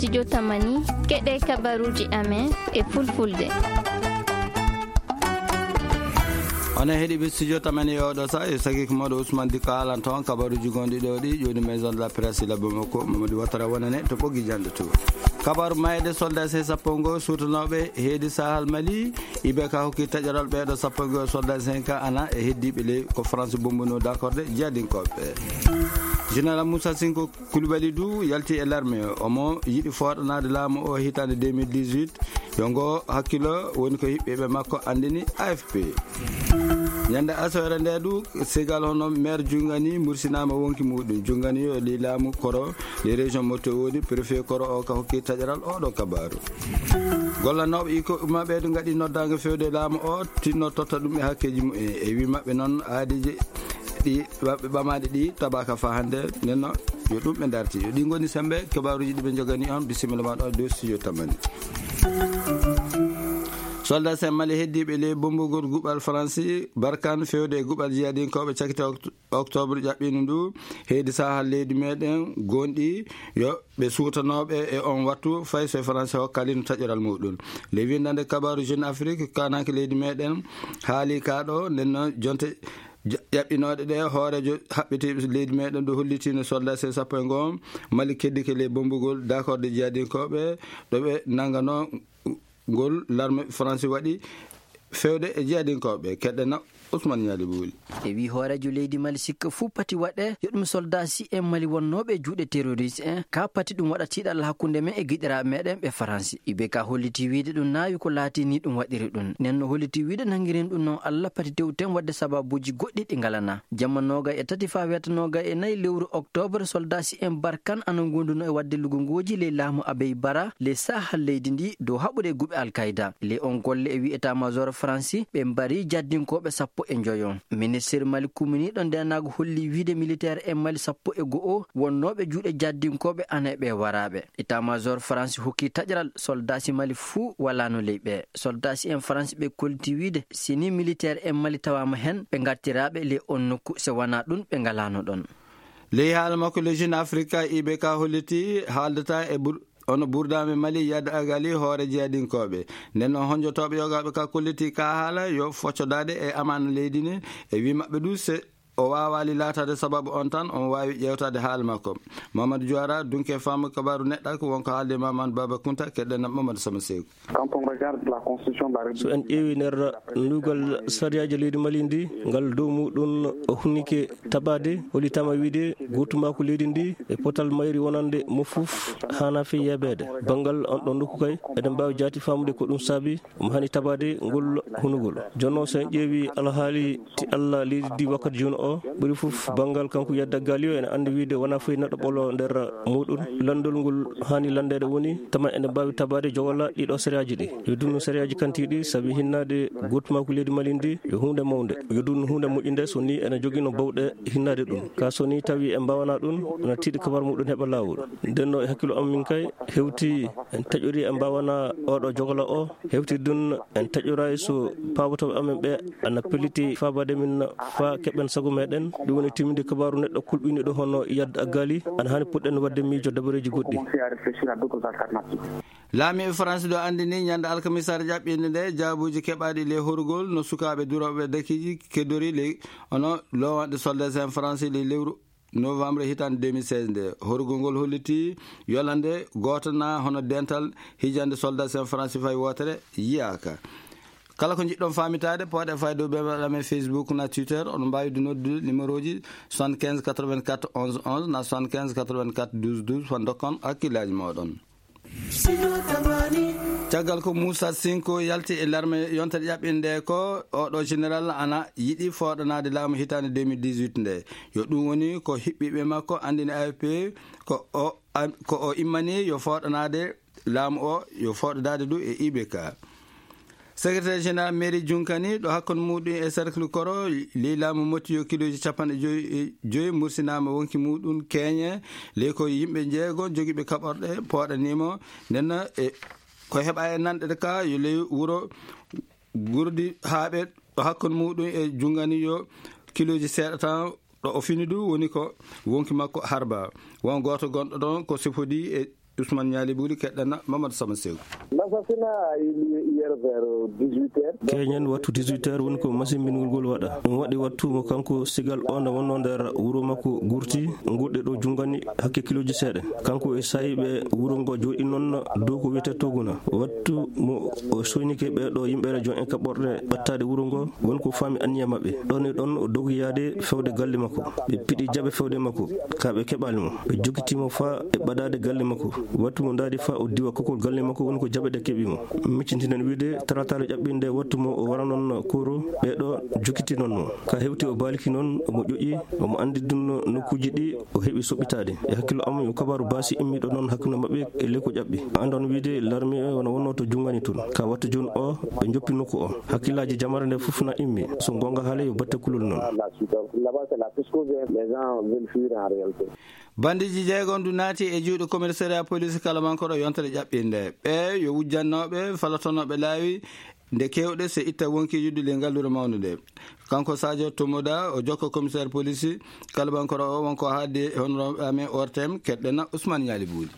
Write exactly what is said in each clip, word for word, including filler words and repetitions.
Studio Tamani, keɗee kabaruuji amen e fulfulde. Onon heɗiiɓe Studio Tamani e oɗo saa, e sakiiko mooɗo Usman Dikko haalanta on kabaruuji gonɗi ɗo ɗi, ƴooni Maison de la Presse, labbo makko Mamadou Ouattara wonane to ɓoggi jannde to. Kabaru maayde soldat C sappo ngo suutanooɓe heedi Sahal Mali, I B K hokki taƴoral ɓeeɗo sappo e go'o soldat C K ana e heddiiɓe ley ko France bombunoo dakorde jihadinkooɓe. Général Moussa Sinko Koulibaly du yalti e larme, omo yiɗi fooɗanaade laamu o hitaande deux mille dix-huit, yo ngo hakkilo woni ko hiɓɓiiɓe makko anndini A F P. Ñande aseere nde du, Segal hono maire Jungani mursinaama wonki muuɗum. Jungani yo ley laamu koro, ley région mo to woni, préfet koro o ka hokki taƴaral oɗo kabaaru. Gollanooɓe iko maɓɓe du ngaɗi noddaango fewde laamu o, tinno totta ɗum e hakkeeji mumen. E wii maɓɓe noon aadiiji ɗi maɓɓe ɓamaade ɗi tabaaka faa hannde, nden no yo ɗum ɓe ndarti. Yo ɗi ngoni sembe kabaaruuji ɗi ɓe njoganii on. Bisimilla ma ɗo e dow studio Tamani. Soldat sen Mali heddiiɓe ley bommbugol guɓal Faransi Barkan fewde e guɓal jihadinkooɓe cakite okt-, oktoobre ƴaɓɓiino ndu, heedi Sahal leydi meɗen gonɗi yo ɓe suutanooɓe e on wattu, fay so Faransi hokkaali no taƴoral muɗum. Ley winndannde kabaaru Jeune Afrique, kaananke leydi meɗen haali ka ɗo, nden noon jonte ja-, ƴaɓɓinooɗe ɗe, hooreejo haɓɓitiiɓe leydi meɗen ɗo hollitiino soldat C sappo e ngo Mali keddike ley bommbugol dakorde jihadinkooɓe ɗo ɓe nannganoo ngol larme Faransi waɗi fewde e jihadinkooɓe. Keɗɗen Ousmane Ñaali Buuli. E wii hooreejo leydi Mali, sikka fuu pati waɗee yo ɗum soldaasi en Mali wonnooɓe e juuɗe terorist en, kaa pati ɗum waɗa tiiɗalla hakkunde men e giɗiraaɓe meɗen ɓe Faransi. I B K hollitii wiide ɗum naawi ko laatii nii ɗum waɗiri ɗum. Nden no hollitii wiide nanngiren ɗum noon Alla, pati tewten waɗde sabaabuuji goɗɗi ɗi ngalanaa. Jamma noogay e tati faa weeta noogay e nayi lewru oktoobre, soldaasi en Barkan ana ngondunoo e waɗde lugungooji ley laamu Abey Bara, ley Sahal leydi ndii, dow haɓude e guɓe Al Kayda. Ley on golle e wii état-major Faransi, ɓe mbarii jihadinkooɓe sappo e njoyo. Ministir Mali kumminiiɗo ndeenaagu hollii wiide militeer en Mali sappo e go'o wonnooɓe juuɗe jihadinkooɓe ana e ɓee waraaɓe. État-major Faransi hokkii taƴral soldaasi Mali fuu walaano ley ɓee. Soldaasi en Faransi ɓe kollitii wiide, si nii militeer en Mali tawaama hen, ɓe ngartiraaɓe ley on nokku, si wanaa ɗum, ɓe ngalaano ɗon. Ley haala makko, le Jeune Afrique, I B K hollitii haaldata e bur-, hono burdaame Mali Yad Agali hoore jihadinkooɓe. Nden noon, honjotooɓe yogaaɓe ka kollitii ka haala yo foccodaade e amaana leydi ndin, e wii maɓɓe du se o waawaali laataade sababu on tan, omo waawi ƴeewtaade haala makko. Mamadou Diawara, dunke faamu kabaaru neɗɗa, ko wonko haalde Mamadou Baba Kunta, keɗɗen Mamadou Sama Seeku. Quand on regarde la constitution de la République, so en ƴeewi nder lugal sariyaaji leydi Mali ndi, ngal dow muɗum o hunnike tabaade, hollitaama wiide gootumaaku leydi ndi e potal mayri wonande mo fof haanaa fii yeebeede. Banngal on ɗon nokku kay, eɗen mbaawi jaati faamude ko ɗum saabi omo haani tabaade ngol hunugol. Jooni noon, so en ƴeewi alhaali ti Alla leydi ndi wakkati jooni o, ɓuri fof banngal kanko Yadda Galio ene anndi wiide wonaa fof neɗɗo ɓolo nder muɗum. Lanndol ngol haani lanndeede woni tama ene mbaawi tabaade jogala ɗiɗo sariyaaji ɗi. Yo dunnu sariyaaji kantiiɗi sabi hinnaade gootumaaku leydi Mali ndi yo huunde mawnde. Yo dunnu huunde moƴƴunde so nii ene jogino bawɗe hinnaade ɗum. Kaa so nii tawi en mbaawanaa ɗum, ene tiiɗi kabar muɗum heɓa laawol. Nden no e hakkillo am min kay hewti en taƴori en mbaawanaa oɗo jogala o. Hewti ɗum, en taƴoraay so paabotooɓe amen ɓe ana pelliti faabaade min faa keɓen sago meɗen. Ɗum woni timminde kabaaru neɗɗo kulɓiniiɗo hono Yad Agali. Ana haani puɗɗen waɗde miijo dabareeji goɗɗi. Laamiiɓe Faransi ɗo anndini ñande alkamisaare ƴaɓɓiinde nde jaabuuji keɓaaɗi ley horugol no sukaaɓe durooɓe dakiiji keddori ley hono loowanɗe soldat en Faransi ley lewru novembre hitaande deux mille seize nde. Horugol ngol hollitii yolande gooto naa hono dental hijande soldat en Faransi fay wootere yiyaaka. Kala ko njiɗɗon faamitaade, pooɗee fayde dow beembaɗal amen Facebook naa Twitter. Oɗon mbaawi du noddude numéroji soixante-quinze quatre-vingt-quatre onze onze naa soixante-quinze quatre-vingt-quatre douze douze faa ndokkon hakkillaaji mooɗon. Caggal ko Moussa Sinko yalti e larme yontere ƴaɓɓinde ko oɗo général ana yiɗi fooɗanaade laamu hitaande deux mille dix-huit nde. Yo ɗum woni ko hiɓɓiiɓe makko anndini A F P ko o, ko o immanii yo fooɗanaade laamu o, yo fooɗodaade du e I B K. Secrétaire général mairie Junkani, ɗo hakkunde muɗum e cercle Koro, ley laamu motti yo kiloji capanɗe joyi e joyi mursinaama wonki muɗum keeñe, ley ko yimɓe jeego jogiiɓe kaɓorɗe pooɗaniimo. Nden e ko heɓaa e nanɗe ka yo ley wuro Gurdi Haaɓe, ɗo hakkunde muɗum e Jungani yo kiloji seeɗa tan. Ɗo o fini du woni ko wonki makko Harba. Won gooto gonɗo ɗon ko sifodii e Ousmane Niali Boury, keɗɗana Mamadou Sama Sew. L'assassinat a eu lieu hier vers dix-huit heures. Keñen wattu dix-huit heures woni ko masimbingol ngol waɗa. Ɗum waɗi wattu mo kanko Sigal o nde wonnoo nder wuro makko Gurti, ngurɗe ɗo junngani hakke kilooji seeɗa. Kanko e saayiiɓe wuro ngo jooɗi noon dow ko wiyetee Toguna. Wattu mo o soynike ɓee ɗo yimɓe rejon en kaɓɓorɗe ɓattaade wuro ngo, woni ko faami anniya maɓɓe. Ɗon e ɗon o dogi yaade fewde galle makko. Ɓe piɗi jaɓe fewde makko. Ka ɓe keɓaali mo. Ɓe jokkitii mo faa e ɓadaade galle makko. Wattu mo ndaari faa o diwa kokol galle makko woni ko jaɓe ɗe keɓi mo. Miccitiɗen wiide talatala ƴaɓɓinde wattu mo o wara noon koro ɓee ɗo jokkitii noon mo. Ka hewti o baaliki noon omo ƴoƴi, omo anndi ɗum no nokkuuji ɗi o heɓi soɓɓitaade. E hakkillo am yo kabaaru baasi immiiɗo noon hakkunde maɓɓe e ley ko ƴaɓɓi. Anndon wiide larmi e wona wonnoo to junngani toon. Ka wattu jooni o ɓe njoppi nokku o. Hakkillaaji jamare nde fof na immi. So goonga haale yo batte kulol noon. Là-bas, c'est la piscose, les gens veulent fuir en réalité. Bandiiji jeegom du naati e juuɗe commissariat police Kalabankoro yontere ƴaɓɓinde. Ɓe yo wujjannooɓe falatonooɓe laawi nde keewɗe se itta wonkiiji du ley ngalluure mawnde nde. Kanko Sadio Tomoda o jokko commissaire police Kalabankoro o wonko haaldi e honorable amen O R T M keɗɗena Ousmane Niali Boury.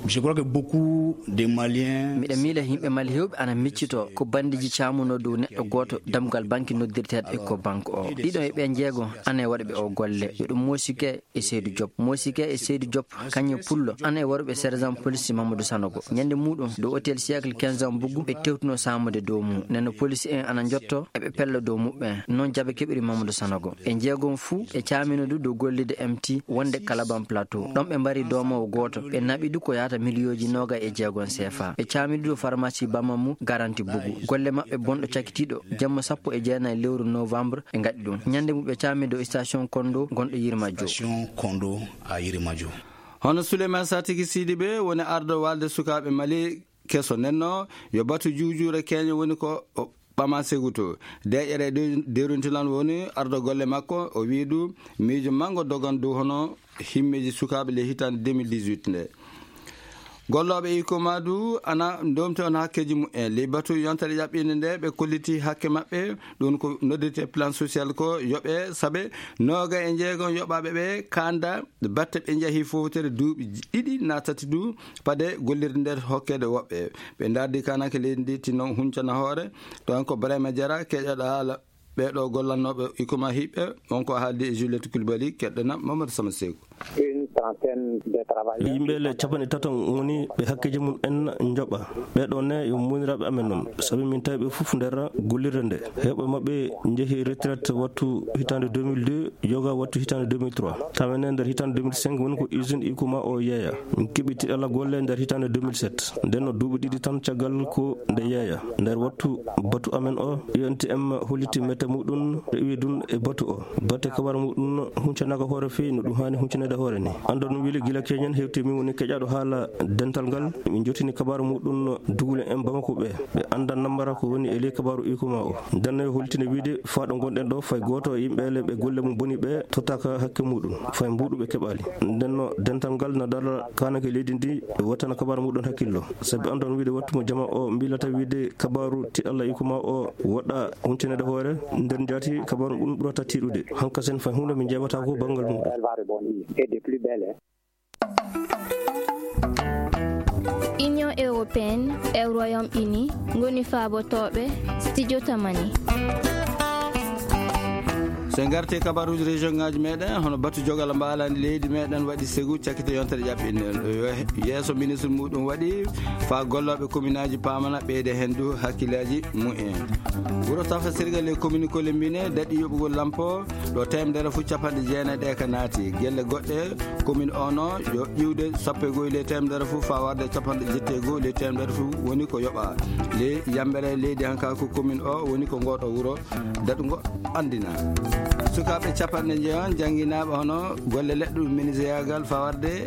Je crois que beaucoup de Maliens. Miɗa miila yimɓe Mali heewɓe ana miccitoo ko bandiiji caamunoo dow neɗɗo gooto dammugal banki noddirteeɗo Ecobank o. Ɗiɗo e ɓee jeego ana e waɗuɓe oo golle. Yo ɗum Moosike e Seydu Joop. Moosike e Seydu Joop, kañum e Pullo, ana e waɗuɓe sergent police Mamadou Sanogo. Ñande muuɗum, dow hôtel Siècle quinze ans Buggu, ɓe tewtuno saamude dow mum. Nden no police en ana njotto, eɓe pella dow muɓɓen. Noon jaɓe keɓiri Mamadou Sanogo. Ɓe jeegom fuu, ɓe caamino du dow gollirde M T wonde Kalaban Plateau. Ɗon ɓe mbari doomoowo gooto. Ɓe naɓi du ko yahata miliyooji noogay e jeegom C F A. Ɓe caami du dow pharmacie Bamamu Garanti Bugu. Golle maɓɓe bonɗo cakitiiɗo, jemma sappo e jeenayi lewru novembre, ɓe ngaɗi ɗum. Ñande mum ɓe caami dow station Kondo gonɗo Yirmajo. Station Kondo à Yirmajo. Hono Souleymane Satiki Sidibe woni ardo walde sukaaɓe Mali keso nenno, yo batu juujuure keeñe woni ko o ɓama seguto. Deeƴere de-, deruntilan woni ardo golle makko, o wii du miijo manngo dogan dow hono himmeeji sukaaɓe ley hitaande deux mille dix-huit nde. Gollooɓe Ikoma du ana ndomti on hakkeeji mumen. Ley batu yontere ƴaɓɓinde nde, ɓe kolliti hakke maɓɓe, ɗum ko noddirte plan social ko yoɓe sabe nooga e jeegom yoɓaaɓe ɓe kanda batte ɓe njahi fowtere duuɓi ɗiɗi na tati du, pade gollirde nder hokkeede woɓɓe. Ɓe ndardi kanake leydi ndi tinno huncana hoore, ɗon ko Brahima Diarra keƴaɗo haala. Ɓee ɗoo gollannooɓe Ikoma hiɓɓe, on ko haaldi e Juliette Coulibaly, keɗɗena Mamadou Sama Seeku. Une trentaine de travailleurs. Yimɓe le capanɗe tato woni ɓe hakkeeji mum en njoɓa. Ɓee ɗoo ne yo muuniraaɓe amen non. Sabi min tawi ɓe fof nder gollirde nde. Heewɓe maɓɓe njehi retraite wattu hitaande deux mille deux, yoga wattu hitaande deux mille trois. Tawa ne nder hitaande deux mille cinq woni ko usine Ikoma o yeeya. Min keɓi tiɗalla golle nder hitaande deux mille sept. Nden no duuɓi ɗiɗi tan caggal ko nde yeeya. Nder wattu batu amen o, U N T M holliti mette muɗum, rewi ɗum e batu o. Batte kabar muɗum huncanaaka hoore feewi no ɗum haani huncaneede hoore ni. Anndon wili gila keñen hewti min woni keƴaaɗo haala dental ngal. Min jottini kabar muɗum dugule en Bamako ɓe. Ɓe annda nambara ko woni e ley kabaru Ikoma o. Nden no e holtini wiide faa ɗo ngonɗen ɗo fay gooto e yimɓe le ɓe golle mum boni ɓe tottaaka hakke muɗum. Fay mbuuɗu ɓe keɓaali. Nden no dental ngal na dara kaanake leydi ndi e wattana kabaru muɗum hakkillo. Sabi anndon wiide wattu mo jama o mbilata wiide kabaru tiɗalla Ikoma o woɗɗa huntinede hoore nder njaati kabaru ɗum ɓurata tiiɗude. Hankasen fay huunde min njeeɓata ko banngal muɗum. Elle va rebondir. Et de plus belle, hein. Union européenne e Royaume-Uni ngoni faabotooɓe studio Tamani. So en ngartii e kabaruuji région ŋaaji meɗen, hono batu jogal mbaalani leydi meɗen waɗi segu cakkite yontere ƴaɓɓinde. Yo yeeso ministre muɗum waɗi faa gollooɓe kominaaji paamana ɓeyde heen du hakkillaaji mumen. Wuro Tafa Sirga ley commune Kolembine daɗi yoɓugol lampo ɗo teemedere fuu capanɗe jeenayi ɗe ka naati. Gelle goɗɗe commune o no yo iwde sappo e goy ley teemedere fuu faa warde capanɗe jeetati e goy ley teemedere fuu woni ko yoɓa. Ley yambere leydi hanka ko commune o woni ko ngoɗo wuro daɗungo anndina. Sukaaɓe capanɗe njeyon jannginaaɓe hono golle leɗɗe menuisier-yaagal faa warde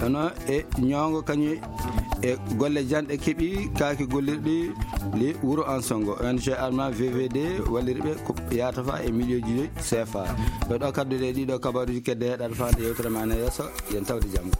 hono e ñoongo kañum e golle janɗe keɓi kaaki gollirɗi li wuro Ansongo. O N G Alma V V D walliri ɓe ko yaata faa e miliyonji C F A. Ɓe ɗo kaddude e ɗiɗo kabaruuji kedde heɗaɗo faande yewtere ma ne yeeso. Yen tawde janngo.